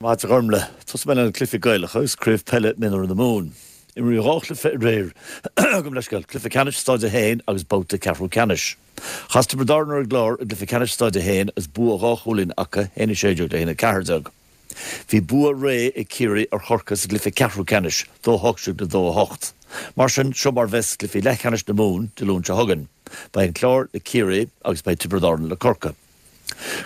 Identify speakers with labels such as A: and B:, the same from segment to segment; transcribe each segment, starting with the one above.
A: Maith agat a Ghormlaith. Tosóidh mé le na cluichí Gaelacha agus Craobh Peile Mionúir na Mumhan. Imríodh 2 chluiche aréir. Gabh mo leithscéal, Cluiche Ceannais Staid 1 agus babhta ceathrú ceannais. Chas Tiobraid Árann ar an gClár i gcluiche ceannais Staid 1 agus bua 2 chúilín acu, 1-16 le 1-14. Bhí bua réidh ag Ciarraí ar Chorcaigh sa gcluiche ceathrú ceannais, 2-18 le 2-8. Mar sin, seo mar bheas cluichí leathcheannais na Mumhan Dé Luain seo chugainn. Beidh an Clár le Ciarraí agus beidh Tiobraid Árann le Corcaigh.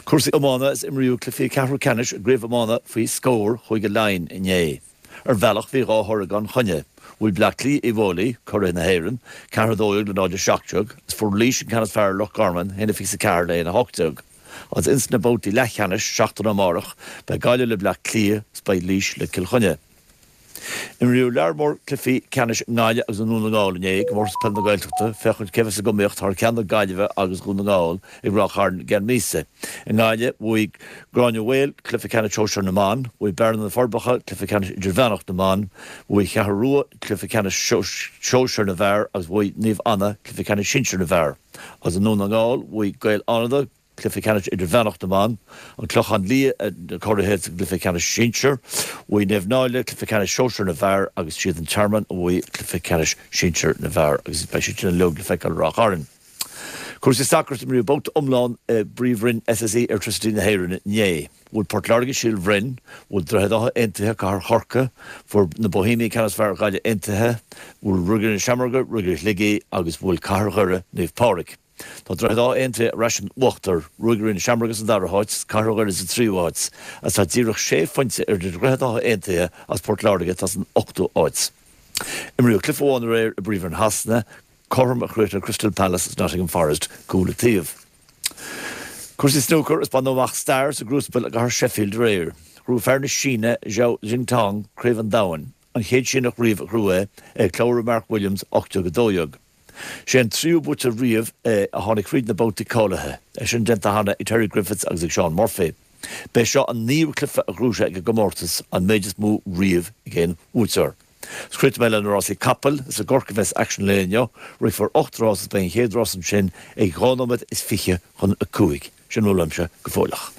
A: Cúrsaí iomána Is imríodh cluichí ceathrú ceannais i gcraobh iomána faoi scór Chúige Laighean inné. Ar bhealach bhí 2 thoradh gan choinne. Bhuail Bleá Cliath Uíbh Fhailí, curaidh na hÉireann, 4-12 le 0-17, is fuair Laois an ceann is fearr ar Loch Garman, 1-24 le 1-18. Agus ins na babhtaí leathcheannais, seachtain ó amárach, beidh Gaillimh le Bleá Cliath is beidh Laois le Cill Chainnigh. Imríodh lear mór cluichí ceannais i nGaillimh agus i nDún na nGall inné i gComórtas Peile na Gaeltachta féachaint cé bheas ag iomaíocht thar ceann na Gaillimhe agus Dhún na nGall ag Ráth Chairn i gceann míosa. I nGaillimh, bhuaigh Gráinne Mhaol cluiche ceannais sóisear na mban, bhuaigh Bearna na Forbacha cluiche ceannais idirmheánach na mban, bhuaigh Cheathrú Rua cluiche ceannais sóisear na bhfear agus bhuaigh Naomh Anna cluiche ceannais sinsir na bhfear. Agus i nDún na nGall, bhuaigh Gaeil Fhánada, Cluiche Ceannais Idirmheánach na mBan, An Clochán Liath na curaithe sa gcluiche ceannais sinsir, bhuaigh Naomh Náille Cluiche Ceannais Sóisear na bhFear agus siad an Tearmann a bhuaigh Cluiche Ceannais Sinsir na bhFear agus beidh siad sin uilig le feiceáil i Ráth Chairn. Cúrsaí sacair Imríodh babhta iomlán i bPríomhroinn SSE Airtricity na hÉireann inné. Bhuail Port Láirge Síol Bhroin, bhuail Droichead Átha Aontaithe Cathair Chorcaí, fuair na Bohemiaigh an ceann is fearr ar Ghaillimh Aontaithe, bhuail Ruagairí na Seamróige Ruagairí Shligigh agus bhuail Cathair Dhoire Naomh Pádraig. Tá Droichead Átha Aontaithe ar ais in uachtar, Ruagairí na Seamróige sa dara háit, Cathair Dhoire sa tríú háit, agus tá díreach sé phointe idir Droichead Átha Aontaithe agus Port Láirge atá san ochtú háit. Imríodh cluiche amháin aréir i bPríomhroinn Shasana, cothrom a chríochnaigh Crystal Palace agus Nottingham Forest, cúl an taobh. Cúrsaí snúcair Is baineadh amach stair sa gcrúspal i gcathair Sheffield aréir. Ghnóthaigh fear na Síne, Zhao Xintong, Craobh an Domhain, an chéad Síneach riamh a ghnóthaigh é, ag clabhrú Mark Williams 18-12. Sé an tríú buaiteoir riamh é a tháinig thríd na babhtaí cáilithe, é sin déanta cheana ag Terry Griffiths agus ag Shaun Murphy. B'é seo an naoú cluiche a ghnóthaigh sé ag an gcomórtas, an méid is mó riamh ag aon bhuaiteoir. Is críochnóidh mé le na rásaí capall, is i gCorcaigh a bheas aicsean an lae inniu, rithfear 8 rás is beidh an chéad rás ansin ag 5 nóiméad is 25. Sin a bhfuil uaimse go fóilleach.